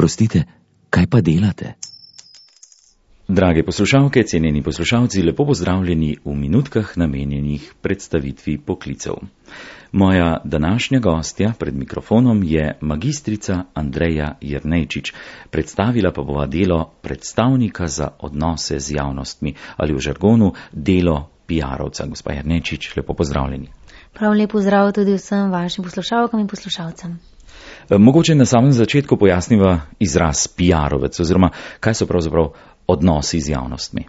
Oprostite, kaj pa delate? Drage poslušalke, cenjeni poslušalci, lepo pozdravljeni v minutkah namenjenih predstavitvi poklicev. Moja današnja gostja pred mikrofonom je magistrica Andreja Jernejčič, predstavila pa bova delo predstavnika za odnose z javnostmi ali v žargonu delo PR-ovca. Gospa Jernejčič, lepo pozdravljeni. Prav lep pozdrav tudi vsem vašim poslušalkam in poslušalcem. Mogoče na samem začetku pojasniva izraz PR-ovec oziroma kaj so pravzaprav odnosi z javnostmi.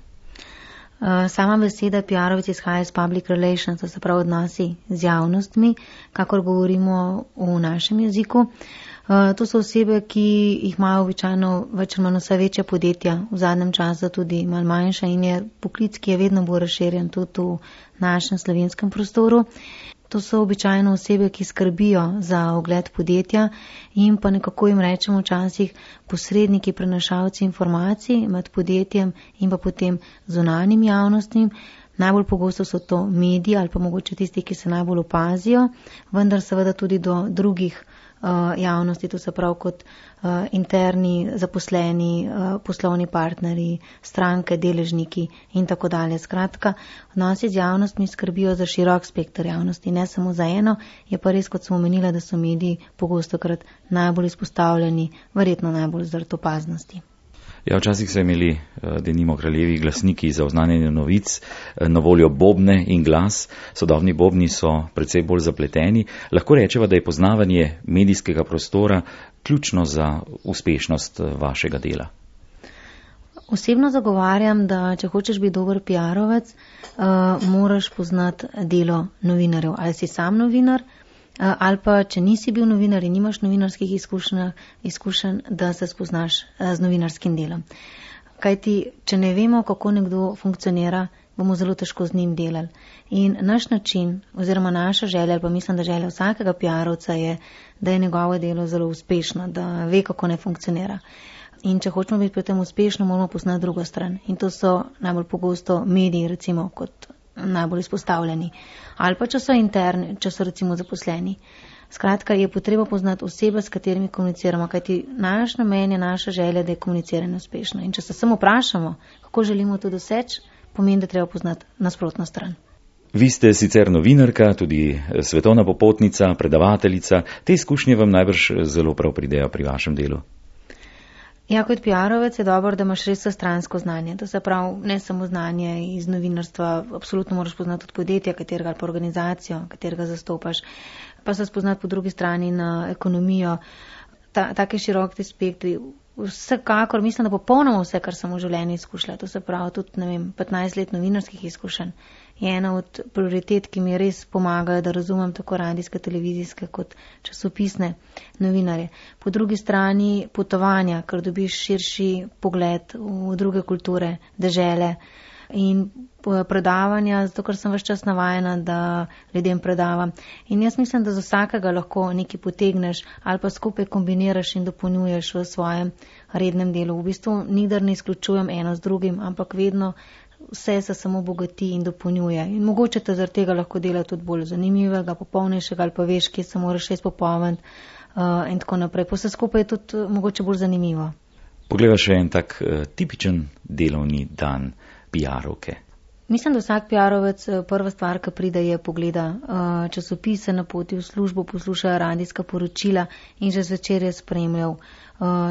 Sama beseda PR-ovec izhaja iz public relations, to se pravi odnosi z javnostmi, kakor govorimo v našem jeziku. To so osebe, ki jih imajo običajno več ali manj vse večja podjetja, v zadnjem času tudi malo manjša in je poklic, ki je vedno bolj razširjen tudi v našem slovenskem prostoru. To so običajno osebe, ki skrbijo za ugled podjetja in pa nekako jim rečemo včasih posredniki, prenašalci informacij med podjetjem in pa potem zunanjim javnostim. Najbolj pogosto so to mediji ali pa mogoče tisti, ki se najbolj opazijo, vendar seveda tudi do drugih javnosti, to se pravi kot interni zaposleni, poslovni partnerji, stranke, deležniki in tako dalje. Skratka, odnosi z javnostmi skrbijo za širok spektr javnosti, ne samo za eno, je pa res, kot sem omenila, da so mediji pogostokrat najbolj izpostavljeni, verjetno najbolj zaradi opaznosti. Ja, včasih so imeli denimo kraljevi glasniki za oznanjanje novic na voljo bobne in glas. Sodobni bobni so precej bolj zapleteni. Lahko rečeva, da je poznavanje medijskega prostora ključno za uspešnost vašega dela. Osebno zagovarjam, da če hočeš biti dober PR-ovec, moraš poznati delo novinarjev. Ali si sam novinar, ali pa če nisi bil novinar in nimaš novinarskih izkušenj, da se spoznaš z novinarskim delom. Kajti, če ne vemo, kako nekdo funkcionira, bomo zelo težko z njim delali. In naš način, oziroma naša želja, ali pa mislim, da želja vsakega PR-ovca je, da je njegovo delo zelo uspešno, da ve, kako ne funkcionira. In če hočemo biti pri tem uspešno, moramo poznati drugo stran. In to so najbolj pogosto mediji, recimo, kot najbolj izpostavljeni. Ali pa če so interni, če so recimo zaposleni. Skratka, je potreba poznati osebe, s katerimi komuniciramo, kajti naš namen je naša želja, da je komuniciranje uspešno. In če se samo vprašamo, kako želimo to doseči, pomeni, da treba poznati nasprotno stran. Vi ste sicer novinarka, tudi svetovna popotnica, predavateljica. Te izkušnje vam najbrž zelo prav pridejo pri vašem delu. Ja, kot PR-ovec je dobro, da imaš res vsestransko znanje. To se pravi, ne samo znanje iz novinarstva, absolutno moraš poznati tudi podjetja, katerega ali pa organizacijo, katerega zastopaš, pa se spoznati po drugi strani na ekonomijo. Take široke spektri. Vsekakor mislim, da popolnoma vse, kar sem v življenju izkušala, to se pravi tudi, 15 let novinarskih izkušenj, je ena od prioritet, ki mi res pomagajo, da razumem tako radijske, televizijske kot časopisne novinarje. Po drugi strani potovanja, ker dobiš širši pogled v druge kulture, dežele in predavanja, zato ker sem ves čas navajena, da ljudem predavam. In jaz mislim, da za vsakega lahko nekaj potegneš ali pa skupaj kombiniraš in dopolnjuješ v svojem rednem delu. V bistvu nikdar ne izključujem eno z drugim, ampak vedno vse se samo bogati in dopolnjuje. In mogoče te zaradi tega lahko dela tudi bolj zanimivega, popolnejšega ali pa veš, kje se moraš res popolniti in tako naprej. Pa vse skupaj je tudi mogoče bolj zanimivo. Pogleda še en tak tipičen delovni dan PR-ovke. Mislim, da vsak PR-ovec prva stvar, ki pride, je pogleda časopise na poti v službo, posluša radijska poročila in že zvečer je spremljal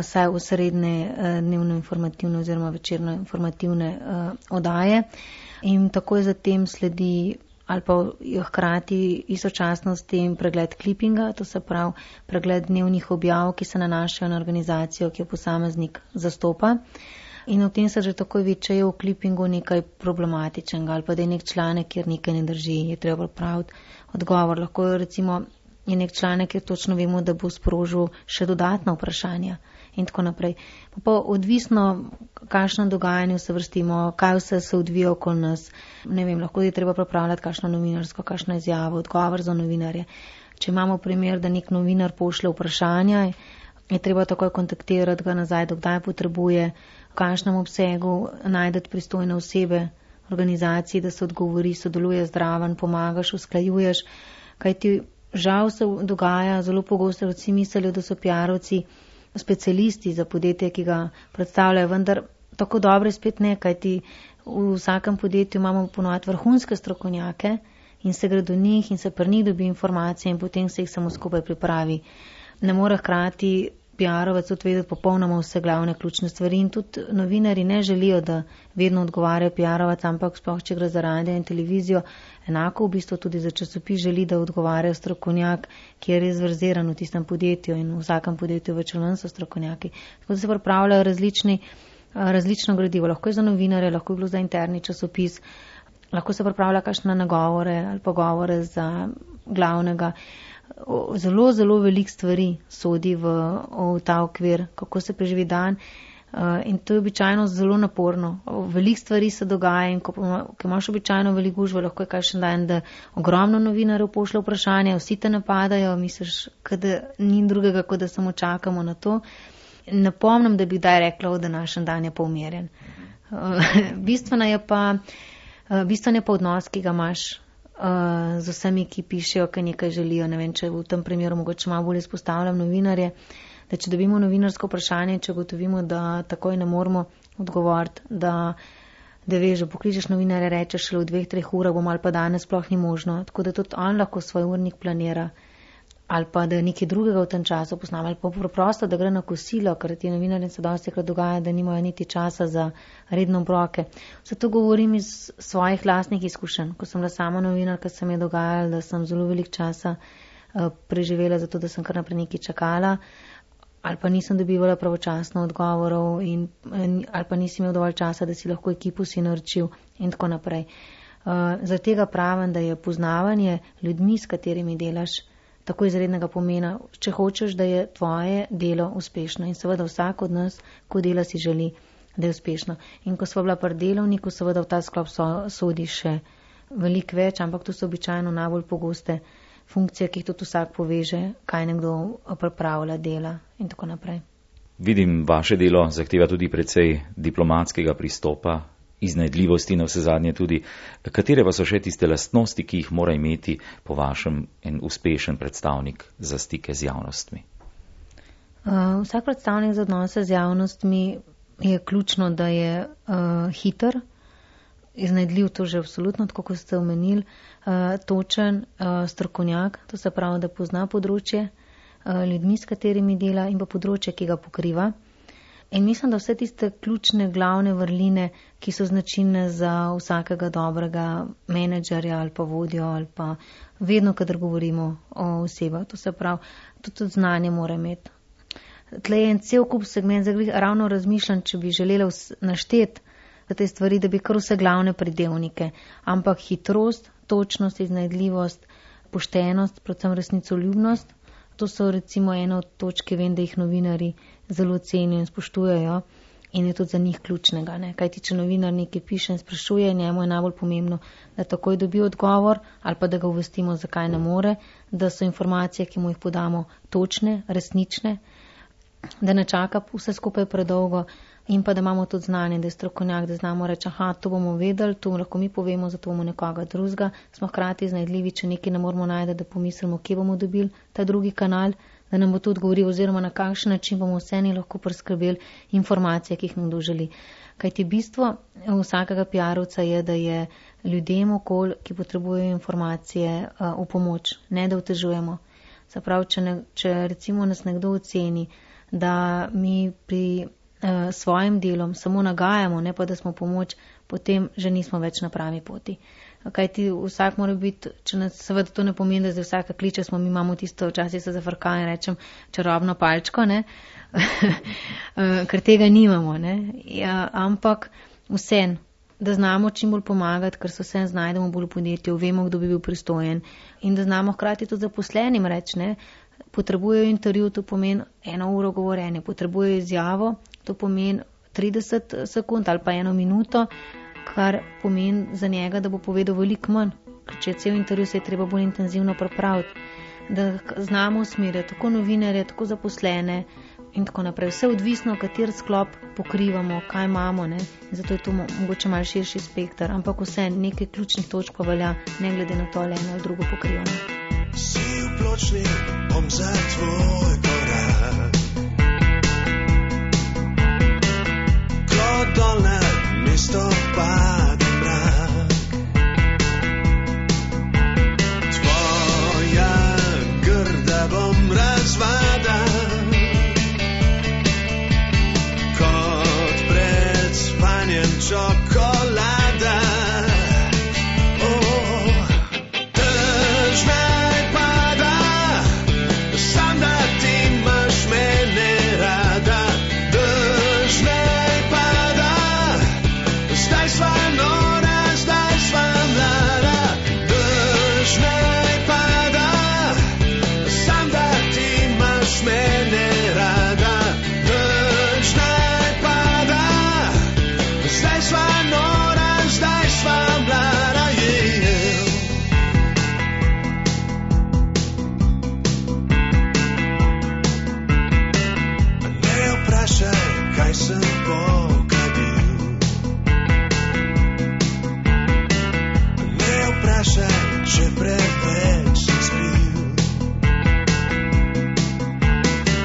saj osrednje dnevno informativne oziroma večerno informativne oddaje in takoj zatem sledi ali pa hkrati istočasno s tem pregled klipinga, to se pravi pregled dnevnih objav, ki se nanašajo na organizacijo, ki jo posameznik zastopa. In v tem se že takoj vidi, če je v klipingu nekaj problematičnega ali pa da je nek članek, kjer nekaj ne drži, je treba praviti odgovor. Lahko recimo je nek članek, kjer točno vemo, da bo sprožil še dodatna vprašanja in tako naprej. Pa odvisno, kakšno dogajanje se vrstimo, kaj vse se odvija okoli nas. Ne vem, lahko je treba pripravljati kakšno novinarsko, kakšno izjavo, odgovor za novinarje. Če imamo primer, da nek novinar pošlje vprašanja, je treba takoj kontaktirati ga nazaj, dokdaj potrebuje, v kakšnem obsegu najdete pristojne osebe, organizaciji, da se odgovori, sodeluje zraven, pomagaš, usklajuješ, kajti žal se dogaja zelo pogosto, vsi mislijo, da so PR-ovci specialisti za podjetje, ki ga predstavljajo, vendar tako dobre spet ne, kajti v vsakem podjetju imamo ponovati vrhunske strokovnjake in se gre do njih in se pri njih dobi informacije in potem se jih samo skupaj pripravi. Ne more hkrati PR-ovec odvedeti popolnoma vse glavne ključne stvari in tudi novinari ne želijo, da vedno odgovarjajo PR-ovec, ampak sploh, če gre za radio in televizijo, enako v bistvu tudi za časopis želi, da odgovarjajo strokovnjak, ki je res verziran v tistem podjetju in v vsakem podjetju več ali manj so strokovnjaki. Tako da se pripravljajo različno gradivo, lahko je za novinare, lahko je bilo za interni časopis, lahko se pripravlja kakšne nagovore ali pogovore za glavnega. Zelo, zelo veliko stvari sodi v ta okvir, kako se preživi dan in to je običajno zelo naporno. Veliko stvari se dogaja in ko imaš običajno veliko gužve, lahko je kakšen dan, da ogromno novinarjev pošlje vprašanje, vsi te napadajo, misliš, da ni drugega, kot da samo čakamo na to. Ne pomnim, da bi kdaj rekla, da današnji dan je pa umirjen. Bistveno je pa odnos, ki ga imaš z vsemi, ki pišejo, ki nekaj želijo. Ne vem, če v tem primeru mogoče malo bolj izpostavljam novinarje, da če dobimo novinarsko vprašanje, če gotovimo, da takoj ne moramo odgovoriti, da veš, pokličeš novinarje, rečeš šele v 2-3 urah bom ali pa danes sploh ni možno. Tako da tudi on lahko svoj urnik planira ali pa da nekaj drugega v tem času posname ali pa preprosto, da gre na kosilo, ker ti novinarji se dosti krat dogaja, da nimajo niti časa za redno obroke. Zato govorim iz svojih lastnih izkušenj. Ko sem bila sama novinarka, se mi je dogajalo, da sem zelo veliko časa preživela zato, da sem kar naprej nekaj čakala ali pa nisem dobivala pravočasno odgovorov ali pa nisem imel dovolj časa, da si lahko ekipo si naročil in tako naprej. Zaradi tega pravim, da je poznavanje ljudmi, s katerimi delaš, tako izrednega pomena, če hočeš, da je tvoje delo uspešno. In seveda vsak od nas, ko dela, si želi, da je uspešno. In ko sva bila pri delovniku, seveda v ta sklop sodi še veliko več, ampak to so običajno najbolj pogoste funkcije, ki jih tudi vsak poveže, kaj nekdo pripravlja, dela in tako naprej. Vidim, vaše delo zahteva tudi precej diplomatskega pristopa, iznajdljivosti na vse zadnje tudi. Katere pa so še tiste lastnosti, ki jih mora imeti po vašem en uspešen predstavnik za stike z javnostmi? Vsak predstavnik za odnose z javnostmi je ključno, da je hiter, iznajdljiv, to že absolutno, tako kot ste omenili, točen, strokovnjak, to se pravi, da pozna področje, ljudmi, s katerimi dela in pa področje, ki ga pokriva. In mislim, da vse tiste ključne, glavne vrline, ki so značilne za vsakega dobrega menedžerja ali pa vodjo ali pa vedno, kadar govorimo o osebah, to se pravi, tudi znanje mora imeti. Tle je en cel kup segment, zdaj ravno razmišljam, če bi želela našteti te stvari, da bi kar vse glavne pridevnike, ampak hitrost, točnost, iznajdljivost, poštenost, predvsem resnicoljubnost, to so recimo ena od točk, ki vem, da jih novinari zelo cenijo in spoštujejo in je tudi za njih ključnega. Kajti, če novinar nekaj piše in sprašuje, njemu je najbolj pomembno, da takoj dobi odgovor ali pa da ga uvestimo, zakaj ne more, da so informacije, ki mu jih podamo, točne, resnične, da ne čaka vse skupaj predolgo in pa da imamo tudi znanje, da je strokovnjak, da znamo reči, to bomo vedeli, to lahko mi povemo, zato bomo nekoga drugega. Smo hkrati iznajdljivi, če nekaj ne moramo najti, da pomislimo, kje bomo dobili ta drugi kanal, da nam bo to odgovoril oziroma na kakšen način bomo vseni lahko priskrbeli informacije, ki jih nekdo želi. Kajti bistvo vsakega PR-ovca je, da je ljudem okoli, ki potrebujejo informacije, v pomoč, ne da otežujemo. Se pravi, če recimo nas nekdo oceni, da mi pri svojim delom samo nagajamo, ne pa da smo pomoč, potem že nismo več na pravi poti. Kajti vsak mora biti, če nas seveda to ne pomeni, da zdaj vsaka kliče, mi imamo tisto, včasih se zafrkajo in rečem čarobno palčko, ne? Ker tega nimamo, ne? Ja, ampak vsem, da znamo čim bolj pomagati, ker se vsem znajdemo bolj v podjetju, vemo, kdo bi bil pristojen in da znamo hkrati tudi zaposlenim reči, ne? Potrebujejo intervju, to pomeni 1 uro govorenja, potrebujejo izjavo, to pomeni 30 sekund ali pa 1 minuto, kar pomeni za njega, da bo povedal veliko manj. Ker če je cel intervju, se je treba bolj intenzivno pripraviti, da znamo usmerjati tako novinarje, tako zaposlene in tako naprej. Vse odvisno, kater sklop pokrivamo, kaj imamo, ne? Zato je to mogoče malo širši spektar, ampak vse nekaj ključnih točk pa velja, ne glede na to, ali eno ali drugo pokrivamo. Si v pločnik, bom za tvoj korak. imaš mene rada, nič naj pada. Zdaj sva nora, zdaj sva mlada, Ne vprašaj, kaj sem pokadil. Ne vprašaj, če preveč sem spil.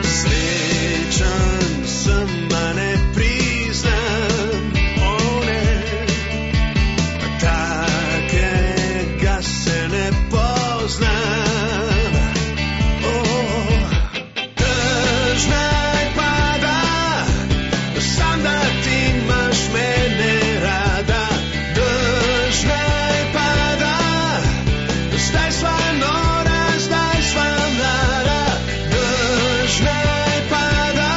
Srečen sem, a ne priznam, takega se ne poznam. Dež naj pada, sam da ti imaš mene rada. Dež naj pada, zdaj sva nora, zdaj sva mlada. Dež naj pada,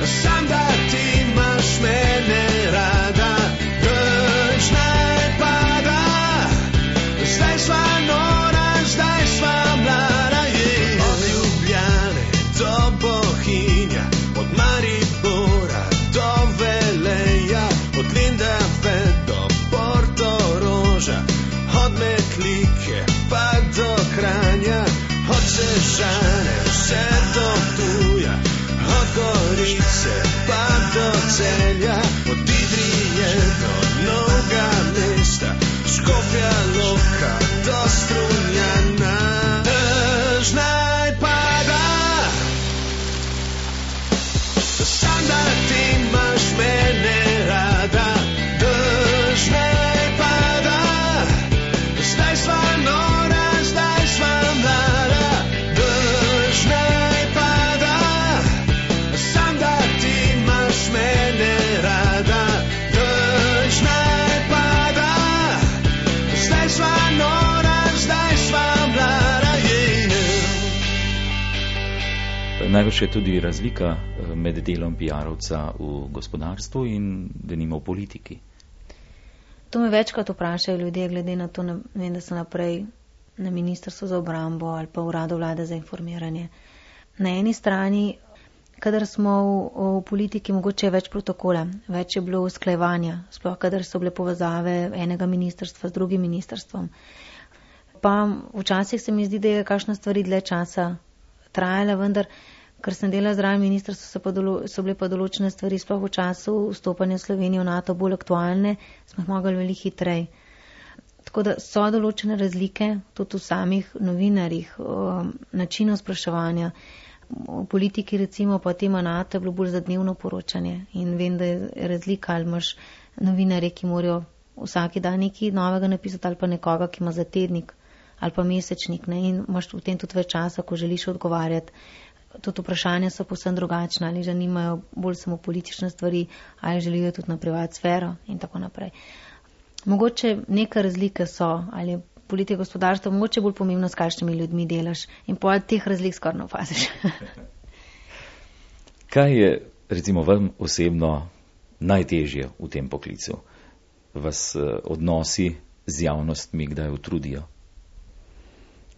sam da ti imaš mene rada. Dež naj pada, zdaj sva nora, zdaj sva mlada. Od Ljubljane do Bohinja, od Maribora do Veleja, od Lendave do Portoroža, od Metlike pa do Kranja, od Sežane vse do Ptuja, od Gorice pa do Celja, od Idrije do Novega Mesta, Škofja Loka do Strunjana. Dež naj pada, sam da ti imaš mene rada. Dež naj pada, zdaj sva nora, zdaj sva mlada. Dež naj pada, sam da ti imaš mene rada. Dež naj pada, zdaj sva nora, zdaj sva mlada. Najbrž je tudi razlika med delom PR-ovca v gospodarstvu in denimo v politiki. To me večkrat vprašajo ljudje, glede na to, vem, da so naprej na Ministrstvu za obrambo ali pa Uradu Vlade za informiranje. Na eni strani, kadar smo v politiki, mogoče je več protokola, več je bilo usklajevanja, sploh kadar so bile povezave enega ministrstva z drugim ministrstvom. Pa včasih se mi zdi, da je kakšna stvari dlje časa trajala, vendar ker sem delala zraven ministrstva, so bile pa določene stvari, sploh v času vstopanja Slovenije v NATO bolj aktualne, smo jih mogli veliko hitreje. Tako da so določene razlike tudi v samih novinarjih, načinu spraševanja. V politiki recimo pa tema NATO je bilo bolj za dnevno poročanje in vem, da je razlika, ali imaš novinarje, ki morajo vsaki dan nekaj novega napisati, ali pa nekoga, ki ima za tednik ali pa mesečnik, ne? In imaš v tem tudi več časa, ko želiš odgovarjati. Tudi vprašanja so povsem drugačna, ali zanimajo bolj samo politične stvari, ali želijo tudi na privat sfero in tako naprej. Mogoče neka razlike so, ali je politika gospodarstva mogoče bolj pomembno, s kakšnimi ljudmi delaš in po teh razlik skoraj ne opaziš. Kaj je recimo vam osebno najtežje v tem poklicu? Vas odnosi z javnostmi kdaj utrudijo?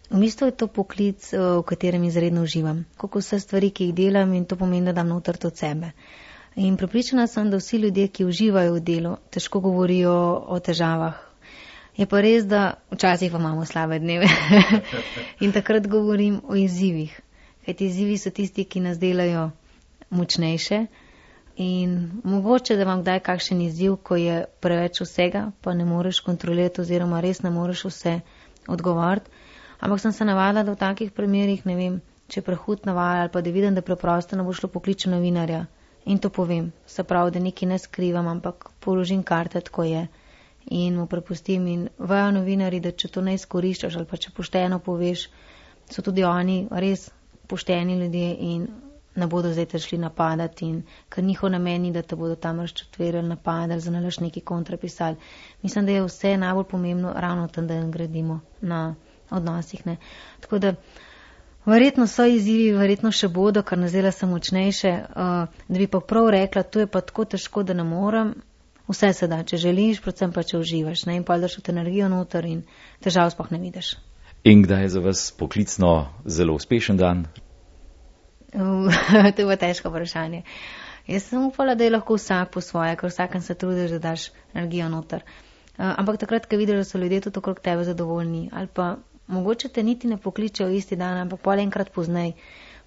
V bistvu je to poklic, v katerem izredno uživam. Kako vse stvari, ki jih delam, in to pomeni, da dam noter od sebe. In prepričana sem, da vsi ljudje, ki uživajo v delu, težko govorijo o težavah. Je pa res, da včasih pa imamo slabe dneve. In takrat govorim o izzivih. Kajti izzivi so tisti, ki nas delajo močnejše. In mogoče, da imam kdaj kakšen izziv, ko je preveč vsega, pa ne moreš kontrolirati oziroma res ne moreš vse odgovoriti. Ampak sem se navadila, da v takih primerih, ne vem, če prehud navaja ali pa da vidim, da preprosto ne bo šlo pokliču novinarja. In to povem. Se pravi, da nekaj ne skrivam, ampak položim karte, tako je. In mu prepustim. In vajo novinari, da če to ne izkoriščaš ali pa če pošteno poveš, so tudi oni res pošteni ljudje in ne bodo zdaj te šli napadati. In ker njihov namen ni, da te bodo tam razčetverili, napadali, za nalaš neki kontrapisali. Mislim, da je vse najbolj pomembno ravno tam, da gradimo na odnosih. Ne. Tako da verjetno so izzivi, verjetno še bodo, kar nas dela sem močnejše, da bi pa prav rekla, to je pa tako težko, da ne morem. Vse se da, če želiš, predvsem pa če uživaš, ne, in pa daš v energijo noter in težav sploh ne vidiš. In kdaj je za vas poklicno zelo uspešen dan? To je bilo težko vprašanje. Jaz sem upala, da je lahko vsak po svoje, ker vsakem se trudiš, da daš energijo noter. Ampak takrat, ko vidiš, da so ljudje tudi okrog tebe zadovoljni, ali pa mogoče te niti ne pokličejo isti dan, ampak pol enkrat poznej.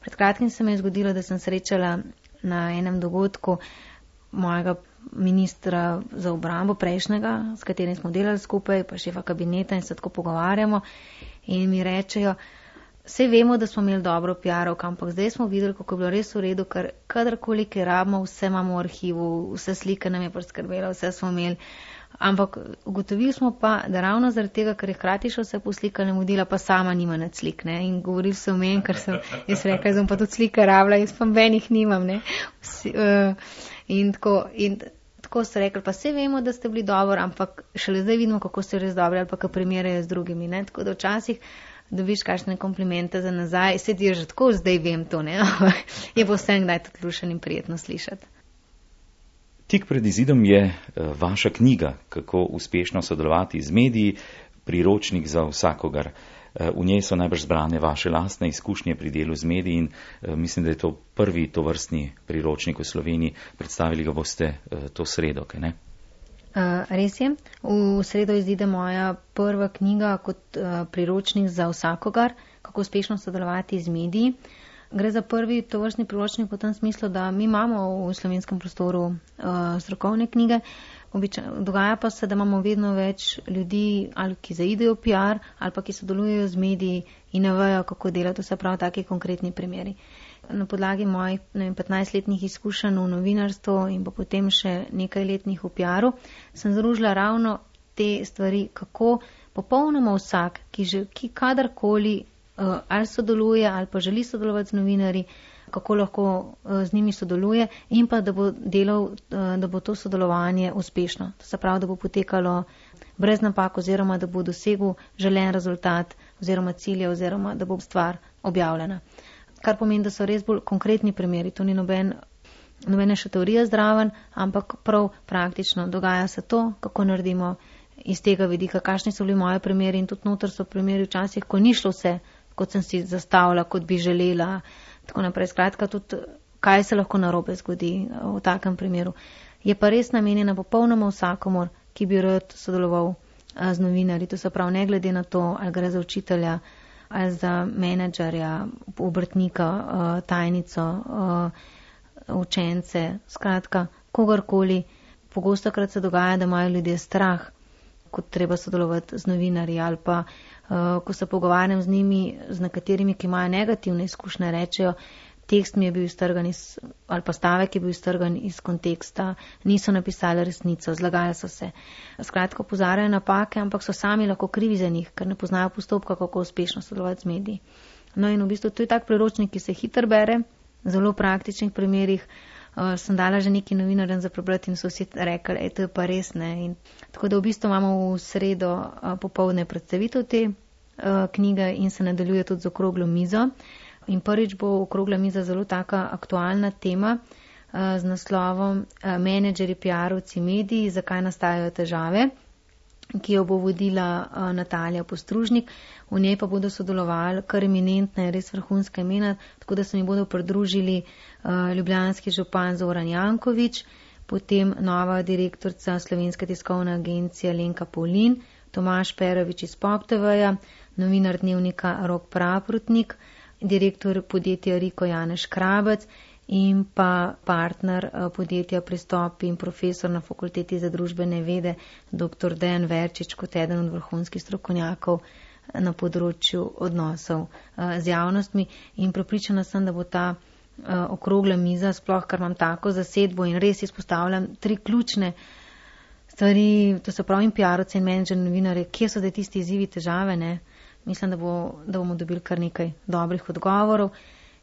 Pred kratkim se mi je zgodilo, da sem srečala na enem dogodku mojega ministra za obrambo prejšnjega, s katerim smo delali skupaj, pa šefa kabineta in se tako pogovarjamo in mi rečejo, vse vemo, da smo imeli dobro PR-ovko, ampak zdaj smo videli, kako je bilo res v redu, ker kadarkoli kaj rabimo, vse imamo v arhivu, vse slike nam je priskrbelo, vse smo imeli. Ampak ugotovili smo pa, da ravno zaradi tega, ker je hkrati še vse poslikane modela, pa sama nima nad slik, ne. In govorili so o meni, ker sem jaz rekla, sem pa tudi slike rabila, jaz pa benih nimam, ne. In tako so rekli, pa vse vemo, da ste bili dobro, ampak šele zdaj vidimo, kako ste res dobri, ali pa kako primerjajo z drugimi, ne. Tako da včasih dobiš kakšne komplimente za nazaj, se ti je že tako, zdaj vem to, ne. Je pa vsem kdaj tudi lušen in prijetno slišati. Tik pred izidom je vaša knjiga, kako uspešno sodelovati z mediji, priročnik za vsakogar. V njej so najbrž zbrane vaše lastne izkušnje pri delu z mediji in mislim, da je to prvi tovrstni priročnik v Sloveniji. Predstavili ga boste to sredo, kaj ne? Res je. V sredo izide moja prva knjiga kot priročnik za vsakogar, kako uspešno sodelovati z mediji. Gre za prvi tovrstni priročnik v tem smislu, da mi imamo v slovenskem prostoru strokovne knjige. Dogaja pa se, da imamo vedno več ljudi, ali ki zaidejo PR, ali pa ki sodelujejo z mediji in ne vejo, kako delati, vse prav taki konkretni primeri. Na podlagi mojih 15-letnih izkušenj v novinarstvu in pa potem še nekaj letnih v PR-u sem združila ravno te stvari, kako popolnoma vsak, ki kadarkoli ali sodeluje ali pa želi sodelovati z novinarji, kako lahko z njimi sodeluje in pa da bo delal, da bo to sodelovanje uspešno. To se pravi, da bo potekalo brez napak oziroma da bo dosegel želen rezultat oziroma cilje oziroma da bo stvar objavljena. Kar pomeni, da so res bolj konkretni primeri. To ni nobene še teorije zdraven, ampak prav praktično. Dogaja se to, kako naredimo iz tega vidika, kakšni so bili moje primeri in tudi noter so primeri včasih, ko ni šlo vse, kot sem si zastavila, kot bi želela, tako naprej. Skratka, tudi kaj se lahko narobe zgodi v takem primeru. Je pa res namenjena popolnoma vsakomur, ki bi rad sodeloval z novinarji. To se pravi, ne glede na to, ali gre za učitelja, ali za menedžerja, obrtnika, tajnico, učence, skratka, kogarkoli. Pogostokrat se dogaja, da imajo ljudje strah, kot treba sodelovati z novinarji, ali pa ko se pogovarjam z njimi, z nekaterimi, ki imajo negativne izkušnje, rečejo, tekst mi je bil iztrgan ali pa stavek je bil iztrgan iz konteksta, niso napisali resnico, zlagali so se. Skratka, opozarjajo napake, ampak so sami lahko krivi za njih, ker ne poznajo postopka, kako uspešno sodelovati z mediji. No in v bistvu to je tak priročnik, ki se hitro bere, v zelo praktičnih primerih. Sem dala že neki novinarjem za prebrati in so vsi rekli, to je pa res, ne. In tako da v bistvu imamo v sredo popoldne predstavitev te knjige in se nadaljuje tudi z okroglo mizo. In prvič bo okrogla miza zelo taka aktualna tema z naslovom Menedžerji, PR-ovci, mediji, zakaj nastajajo težave, ki jo bo vodila Natalija Postružnik. V njej pa bodo sodelovali kar eminentne, res vrhunske imena, tako da se mi bodo pridružili ljubljanski župan Zoran Janković, potem nova direktorica Slovenske tiskovne agencije Lenka Pavlin, Tomaž Perović iz Pop TV-ja, novinar dnevnika Rok Praprotnik, direktor podjetja Riko Janez Škrabec in pa partner podjetja Pristop in profesor na Fakulteti za družbene vede dr. Dejan Verčič kot eden od vrhunskih strokovnjakov na področju odnosov z javnostmi. In prepričana sem, da bo ta okrogla miza, sploh kar imam tako zasedbo in res izpostavljam 3 ključne stvari, to se pravi in PR-ovce in menedžerje, novinarje, kje so da tisti izzivi, težave, ne. Mislim, da bomo dobili kar nekaj dobrih odgovorov.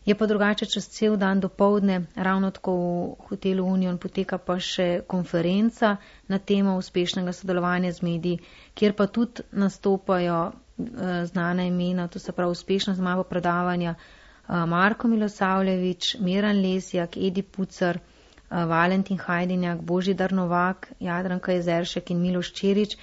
Je pa drugače čez cel dan do povdne, ravno tako v hotelu Union poteka pa še konferenca na temo uspešnega sodelovanja z mediji, kjer pa tudi nastopajo znana imena, to se pravi uspešnost imamo predavanja Marko Milosavljević, Miran Lesjak, Edi Pucar, Valentin Hajdinjak, Božidar Novak, Jadranka Jezeršek in Miloš Čerič.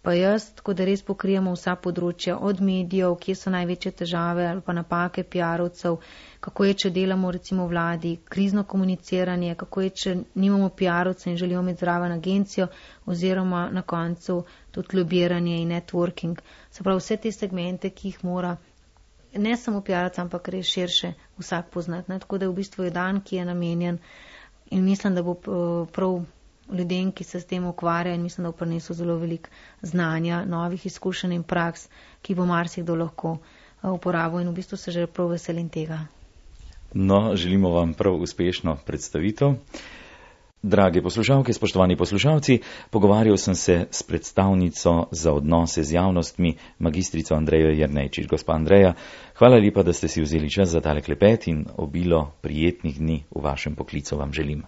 pa jaz, tako da res pokrijemo vsa področja, od medijev, kje so največje težave ali pa napake PR-ovcev, kako je, če delamo recimo vladi, krizno komuniciranje, kako je, če nimamo PR-ovcev in želimo imeti zraven agencijo, oziroma na koncu tudi lobiranje in networking. Se pravi, vse te segmente, ki jih mora ne samo PR-ovcev, ampak res širše vsak poznati. Ne? Tako da v bistvu je dan, ki je namenjen in mislim, da bo prav ljudem, ki se s tem ukvarjajo, in mislim, da bo prinesel zelo veliko znanja, novih izkušenj in praks, ki bo marsikdo lahko uporabil in v bistvu se že prav veselim tega. No, želimo vam prav uspešno predstavitev. Drage poslušalke, spoštovani poslušalci, pogovarjal sem se s predstavnico za odnose z javnostmi, magistrico Andrejo Jernejčič. Gospa Andreja, hvala lepa, da ste si vzeli čas za tale klepet in obilo prijetnih dni v vašem poklicu vam želim.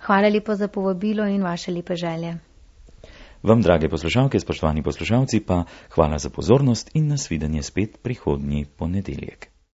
Hvala lepa za povabilo in vaše lepe želje. Vam, drage poslušalke, spoštovani poslušalci, pa hvala za pozornost in nasvidenje spet prihodnji ponedeljek.